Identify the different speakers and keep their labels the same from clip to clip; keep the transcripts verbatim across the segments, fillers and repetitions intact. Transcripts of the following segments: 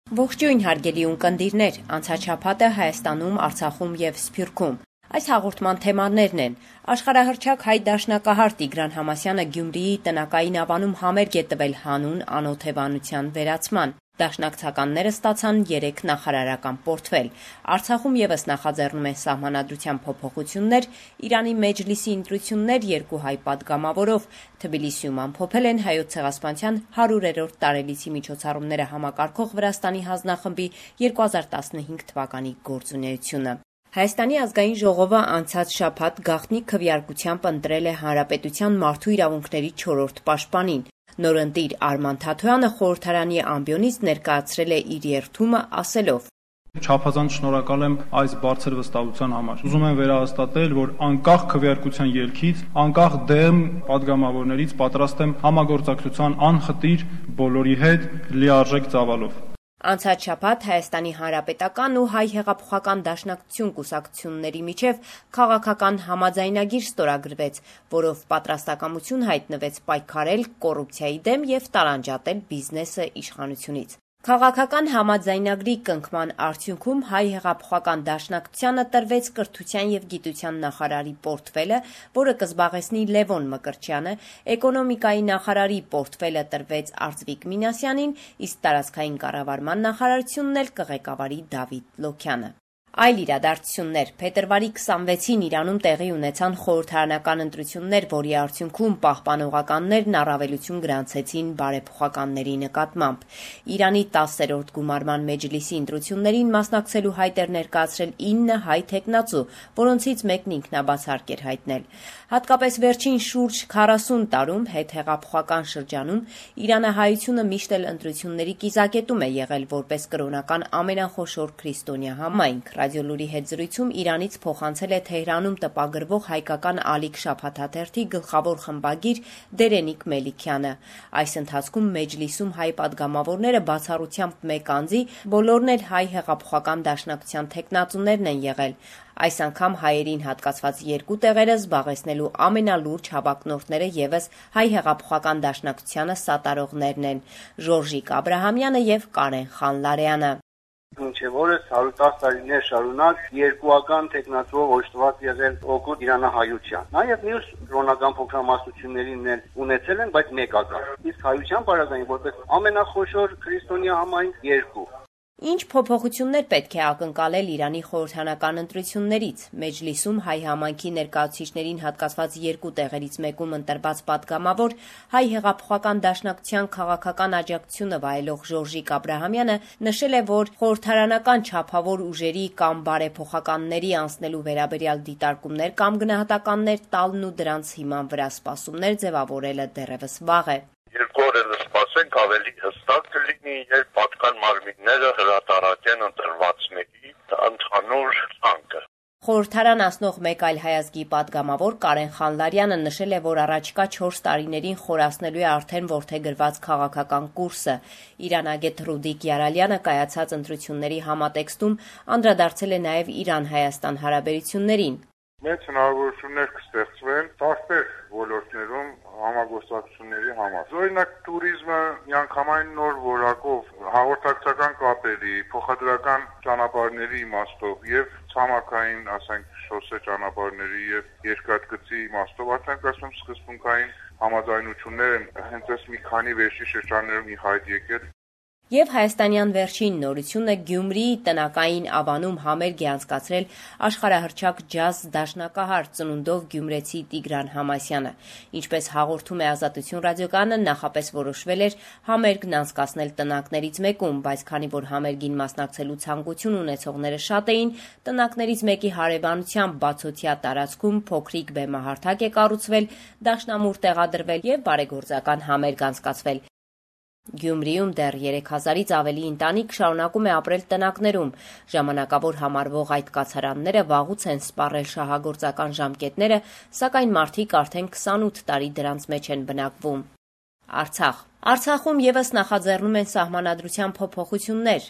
Speaker 1: Ողջույն հարգելի ունկնդիրներ, անցաչափատը Հայաստանում, Արցախում եւ Սփյուռքում։ Այս հաղորդման թեմաներն են. աշխարհահռչակ հայ դաշնակահար Տիգրան Համասյանը Գյումրիի տնակային ավանում համերգ է տվել հանուն անօթևանության վերացման։ Դաշնակցականները ստացան երեք նախարարական պորտֆել։ Արցախում եւս նախաձեռնում են սահմանադրության փոփոխություններ, Իրանի Մեջլիսի ընտրություններ երկու հայ падգամավորով, Թբիլիսիում ամփոփել են Հայոց ցեղասպանության հարյուրերորդ տարելիցի միջոցառումները համակարգող Վրաստանի հանձնախմբի երկու հազար տասնհինգ թվականի գործունեությունը։ Հայաստանի ազգային ժողովը անցած շաբաթ գաղտնի քվեարկությամբ ընտրել է Հանրապետության մարդու իրավունքների չորրորդ պաշտպանին։ Նորընտիր Արման Թաթոյանը խորհրդարանի ամբիոնից ներկայացրել է իր երդումը ասելով.
Speaker 2: Չափազանց շնորհակալ եմ այս բարձր վստահության համար։ Ուզում եմ վերահաստատել, որ անկախ քվեարկության ելքից, անկախ դեմ падգամավորներից պատրաստ եմ համագործակցության անխտիր բոլորի հետ լիարժեք ծավալով։
Speaker 1: Անցած շաբաթ Հայաստանի Հանրապետական ու Հայ հեղափոխական դաշնակցություն կուսակցությունների միջև քաղաքական համաձայնագիր ստորագրվեց, որով պատրաստակամություն հայտնվեց պայքարել կոռուպցիայի դեմ եւ տարանջատել բիզնեսը իշխանությունից։ Քաղաքական համաձայնագրի կնքման արդյունքում Հայ հեղափոխական դաշնակցությանը տրվեց կրթության եւ գիտության նախարարի պորտֆելը, որը կզբաղեցնի Լևոն Մկրտչյանը, էկոնոմիկայի նախարարի պորտֆելը տրվեց Արծվիկ Մինասյանին, իսկ տարածքային կառավարման նախարարությունն էլ կղեկավարի Դավիթ Լոքյանը։ Այլ իրադարձություններ. Փետրվարի քսանվեցին Իրանում տեղի ունեցան խորհրդարանական ընտրություններ, որի արդյունքում պահպանողականներն առավելություն գրանցեցին բարեփոխականների նկատմամբ։ Իրանի տասերորդ գումարման մեջլիսի ընտրություններին մասնակցելու հայտ էր ներկայացրել ինը հայ թեկնածու, որոնցից մեկն ինքնաբացարկ էր հայտնել։ Հատկապես վերջին շուրջ քառասուն տարում հետհեղափոխական շրջանում իրանահայությունը միշտ էլ ընտրությունների կիզակետում է եղել որպես կրոնական ամենախոշոր քրիստոնյա համայնք։ Ռադիոլուրի հետ զրույցում Իրանից փոխանցել է Թեհրանում տպագրվող հայկական Ալիք շաբաթաթերթի գլխավոր խմբագիր Դերենիկ Մելիքյանը։ Այս ընթացքում մեջլիսում հայ падգամավորները բացառությամբ մեկ անձի բոլորն էլ հայ հեղափոխական դաշնակցության թեկնածուներն են եղել։ Այս անգամ հայերին հատկացված երկու տեղերը զբաղեցնելու ամենալուրջ հավակնորդները ևս հայ հեղափոխական դաշնակցությանը սատարողներն են՝ Ժորժիկ Աբրահամյանը եւ Կարեն Խանլարյանը։
Speaker 3: Մինչև օրս հարյուր տասը տարիներ շարունակ երկուական տեխնատուով օժտված եղել օգուտ իրանահայության։ Նաև մյուս կրոնական փոքրամասնություններին էլ ունեցել են, բայց մեկական։ Իսկ հայության բարձրային որպես ամենախոշոր քրիստոնյա համայնք երկու։
Speaker 1: Ինչ փոփոխություններ պետք է ակնկալել Իրանի խորհրդարանական ընտրություններից։ Մեջլիսում հայ համայնքի ներկայացուցիչներին հատկացված երկու տեղերից մեկում ընտրված падգամավոր հայ հեղափոխական դաշնակցության քաղաքական աջակցությունը վայելող Ժորժիկ Աբրահամյանը նշել է, որ խորհրդարանական չափավոր ուժերի կամ բարեփոխականների անցնելու վերաբերյալ դիտարկումներ կամ գնահատականներ տալն ու դրանց հիման վրա սպասումներ ձևավորելը դեռևս վաղ է։
Speaker 4: Երկու օր էլ սպասենք, ավելի հստակ կլինի, երբ պատկան մարմինները հրատարակեն ընտրվածների ընդհանուր ցանկը։
Speaker 1: Խորհրդարան անցնող մեկ այլ հայազգի падգամավոր Կարեն Խանլարյանը նշել է, որ առաջիկա չորս տարիներին խորացնելու է արդեն որդեգրված քաղաքական կուրսը։ Իրանագետ Ռուդիկ Յարալյանը կայացած ընտրությունների համատեքստում անդրադարձել է նաև Իրան-Հայաստան հարաբերություններին։
Speaker 5: Մեծ հնարավորություններ կստեղծվեն տարբեր ոլորտներում համագործակցությունների համար։ Օրինակ տուրիզմը միանգամայն նոր որակով հաղորդակցական կապերի, փոխադրական ճանապարհների իմաստով եւ ցամաքային, ասենք, շոսե ճանապարհների եւ երկաթգծի իմաստով արդեն ասում սկզբունքային համաձայնություններ են հենց այս մի քանի վերջի շրջաններում ի հայտ եկել։
Speaker 1: Եվ հայաստանյան վերջին նորությունը Գյումրիի տնակային ավանում համերգ է անցկացրել աշխարհահռչակ ջազ դաշնակահար ծնունդով գյումրեցի Տիգրան Համասյանը։ Ինչպես հաղորդում է Ազատություն ռադիոկայանը, նախապես որոշվել էր համերգն անցկացնել տնակներից մեկում, բայց քանի որ համերգին մասնակցելու ցանկություն ունեցողները շատ էին, տնակներից մեկի հարևանությամբ բացօթյա տարածքում փոքրիկ բեմահարթակ է կառուցվել, դաշնամուր տեղադրվել եւ բարեգործական համերգ անցկացվել։ Գյումրիում դեռ երեք հազարից ավելի ընտանիք շարունակում է ապրել տնակներում։ Ժամանակավոր համարվող այդ կացարանները վաղուց են սպառել շահագործական ժամկետները, սակայն մարդիկ արդեն քսանութ տարի դրանց մեջ են բնակվում։ Արցախ Արցախում եւս նախաձեռնում են սահմանադրության փոփոխություններ։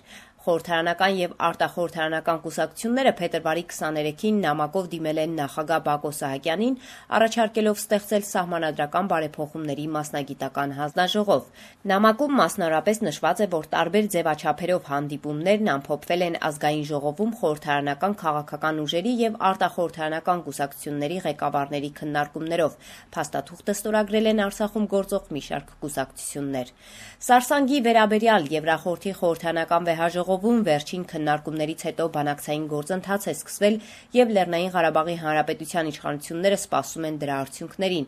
Speaker 1: Խորհրդարանական եւ արտախորհրդարանական կուսակցությունները փետրվարի քսաներեքին նամակով դիմել են նախագահ Բակո Սահակյանին, առաջարկելով ստեղծել սահմանադրական բարեփոխումների մասնագիտական հանձնաժողով։ Նամակում մասնավորապես նշված է, որ տարբեր ձևաչափերով հանդիպումներն ամփոփվել են ազգային ժողովում խորհրդարանական քաղաքական ուժերի եւ արտախորհրդարանական կուսակցությունների ղեկավարների քննարկումներով։ Փաստաթուղթը ստորագրել են Արցախում գործող մի շարք կուսակցություններ։ Սարսանգի վերաբերյալ Եվրախորհրդի խորհրդարանական վեհաժողովում վերջին քննարկումներից հետո բանակցային գործընթաց է սկսվել եւ Լեռնային Ղարաբաղի Հանրապետության իշխանությունները սպասում են դրա արդյունքներին։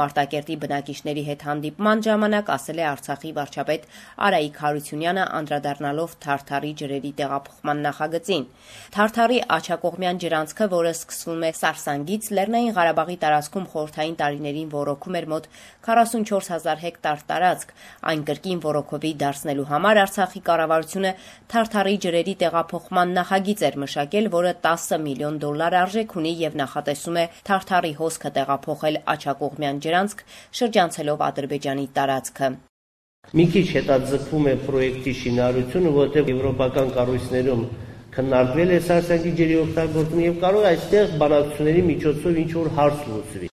Speaker 1: Մարտակերտի բնակիչների հետ հանդիպման ժամանակ ասել է Արցախի վարչապետ Արայիկ Հարությունյանը, անդրադառնալով Թարթարի ջրերի տեղափոխման նախագծին։ Թարթարի աջակողմյան ջրանցքը, որը սկսվում է Սարսանգից, Լեռնային Ղարաբաղի տարածքում խորհրդային տարիներին ոռոգում էր մոտ քառասունչորս հազար հեկտար տարածք։ Այն կրկին ոռոգովի դարձնելու համար Արցախի կառավարությունը Թարթարի ջրերի տեղափոխման նախագիծ էր մշակել, որը տասը միլիոն դոլար արժեք ունի եւ նախատեսում է Թարթարի հոսքը տեղափոխել աջակողմյան ջրանցք, շրջանցելով Ադրբեջանի տարածքը։
Speaker 6: Մի քիչ հետաձգվում է պրոյեկտի շինարարությունը, որտեղ եվրոպական կառույցներում քննարկվել է Սարսանգի ջրի օգտագործումը եւ կարող է այստեղ բանակցությունների միջոցով ինչ-որ հարց լուծվի։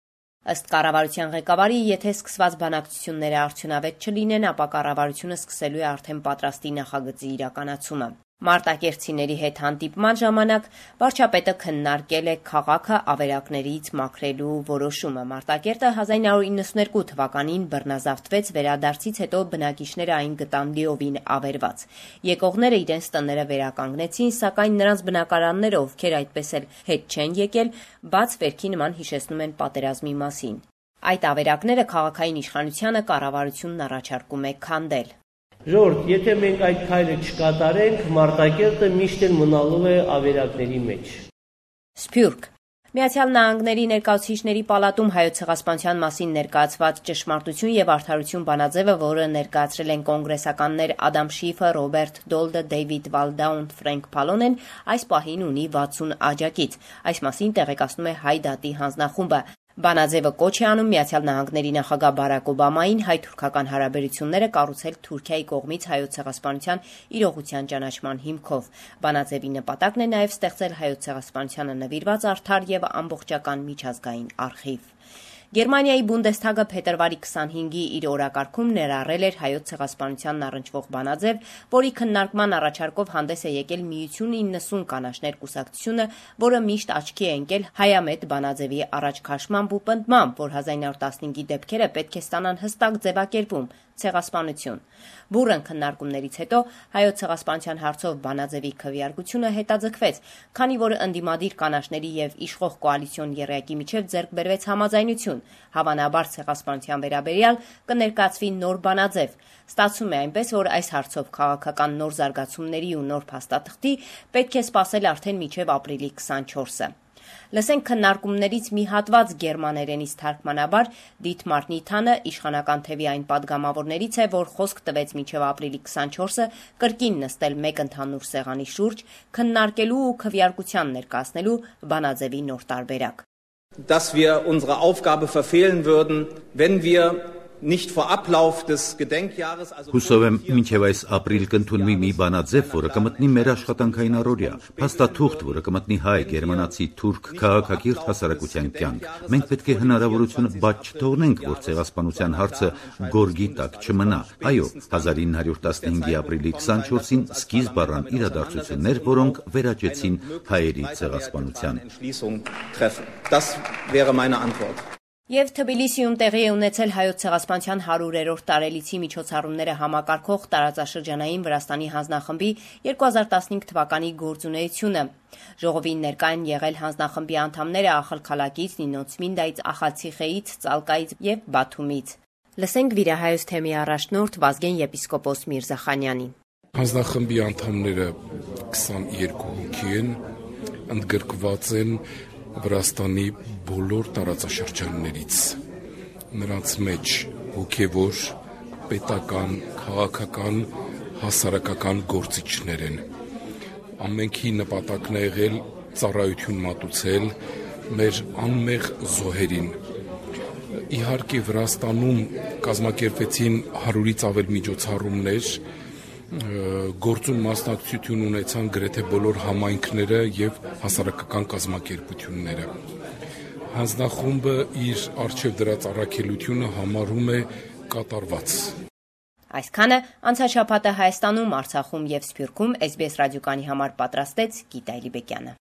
Speaker 1: Ըստ կառավարության ղեկավարի, եթե սկսված բանակցությունները արդյունավետ չլինեն, ապա կառավարությունը սկսելու է արդեն պատրաստի նախագծի իրականացումը։ Մարտակերտցիների հետ հանդիպման ժամանակ վարչապետը քննարկել է քաղաքը ավերակներից մաքրելու որոշումը։ Մարտակերտը հազար ինը հարյուր իննսունհերկու թվականին բռնազավթվեց, վերադարձից հետո բնակիչները այն գտան լիովին ավերված։ Եկողները իրենց տները վերականգնեցին, սակայն նրանց բնակարանները, ովքեր այդպես էլ հետ չեն եկել, բաց վերքի նման հիշեցնում են պատերազմի մասին։ Այդ ավերակները քաղաքային իշխանությանը կառավարությունն առաջարկում է քանդել։
Speaker 6: Ժողովուրդ, եթե մենք այդ քայլը չկատարենք, Մարտակերտը միշտ էլ մնալու է ավերակների մեջ։
Speaker 1: Սփյուռք Միացյալ Նահանգների ներկայացուցիչների պալատում Հայոց ցեղասպանության մասին ներկայացված «Ճշմարտություն եւ արդարություն» բանաձևը, որը ներկայացրել են կոնգրեսականներ Ադամ Շիֆը, Ռոբերտ Դոլդը, Դեյվիդ Վալդաուն, Ֆրենկ Փալոնեն, այս պահին ունի վաթսուն աջակից։ Այս մասին տեղեկացնում է Հայ դատի հանձնախումբը։ Բանաձևը կոչ է անում Միացյալ Նահանգների նախագահ Բարակ Օբամային հայ-թուրքական հարաբերությունները կառուցել Թուրքիայի կողմից Հայոց ցեղասպանության իրողության ճանաչման հիմքով։ Բանաձևի նպատակն է նաև ստեղծել Հայոց ցեղասպանությանը նվիրված արդար եւ ամբողջական միջազգային արխիվ։ Գերմանիայի Բունդեսթագը փետրվարի քսանհինգի իր օրակարգում ներառել էր Հայոց ցեղասպանությանն առնչվող բանաձև, որի քննարկման առաջարկով հանդես է եկել Միություն իննսուն կանաչներ կուսակցությունը, որը միշտ աչքի է ընկել հայամետ բանաձևի առաջքաշմամբ ու պնդմամբ, որ հազար ինը հարյուր տասնհինգի դեպքերը պետք է ստանան հստակ ձևակերպում՝ ցեղասպանություն։ Բուռն քննարկումներից հետո Հայոց ցեղասպանության հարցով բանաձևի քվեարկությունը հետաձգվեց, քանի որ ընդդիմադիր կանաչների եւ իշխող կոալիցիոն եռյակի միջև ձեռք բերվեց համաձայնություն։ Հավանաբար ցեղասպանության վերաբերյալ կներկայացվի նոր բանաձև։ Ստացվում է այնպես, որ այս հարցով քաղաքական նոր զարգացումների ու նոր փաստաթղթի պետք է սպասել արդեն մինչև ապրիլի քսանչորսը։ Լսենք քննարկումներից մի հատված գերմաներենից թարգմանաբար Դիտմար Նիթանը, իշխանական թևի այն падգամավորներից է, որ խոսք տվեց մինչև ապրիլի քսանչորսը կրկին նստել մեկ ընդհանուր սեղանի շուրջ, քննարկելու ու քվեարկության ներկայացնելու բանաձևի նոր տարբերակ։
Speaker 7: Dass wir unsere Aufgabe verfehlen würden, wenn wir nicht vor Ablauf des Gedenkjahres also
Speaker 8: Հուսով եմ մինչև այս ապրիլ կընդունվի մի բանաձև, որը կմտնի մեր աշխատանքային առօրյա, փաստաթուղթ, որը կմտնի հայ, գերմանացի, թուրք, քաղաքակիրթ հասարակության կյանք։ Մենք պետք է հնարավորությունը բաց չթողնենք, որ ցեղասպանության հարցը գորգի տակ չմնա։ Այո, հազար ինը հարյուր տասնհինգի ապրիլի քսանչորսին սկիզբ առան իրադարձություններ, որոնք վերաճեցին հայերի ցեղասպանության։
Speaker 7: Das wäre meine Antwort.
Speaker 1: Եվ Թբիլիսիում տեղի է ունեցել Հայոց ցեղասպանության հարյուրերորդ տարելիցի միջոցառումները համակարգող տարածաշրջանային Վրաստանի հանձնախմբի երկու հազար տասնհինգ թվականի գործունեությունը։ Ժողովին ներկա են եղել հանձնախմբի անդամները Ախալքալակից, Նինոցմինդայից, Ախալցիխեից, Ծալկայից եւ Բաթումից։ Լսենք Վիրահայոց թեմի առաջնորդ Վազգեն եպիսկոպոս Միրզախանյանի։
Speaker 9: Հանձնախմբի անդամները քսաներկու հոգի են, ընդգրկված են Վրաստանի բոլոր տարածաշրջաններից։ Նրանց մեջ հոգևոր, պետական, քաղաքական, հասարակական գործիչներ են։ Ամենքի նպատակն է եղել ծառայություն մատուցել մեր անմեղ զոհերին։ Իհարկե Վրաստանում կազմակերպվեցին հարյուրից ավել միջոցառումներ, գործում մասնակցություն ունեցան գրեթե բոլոր համայնքները եւ հասարակական կազմակերպությունները։ Հանձնախումբը իր արժեվ դրած առաքելությունը համարում է կատարված։
Speaker 1: Այսքանը անցաշաբաթը Հայաստանում, Արցախում եւ Սփյուռքում էս բի էս ռադիոկայանի համար պատրաստեց Գիտա Էլիբեկյանը։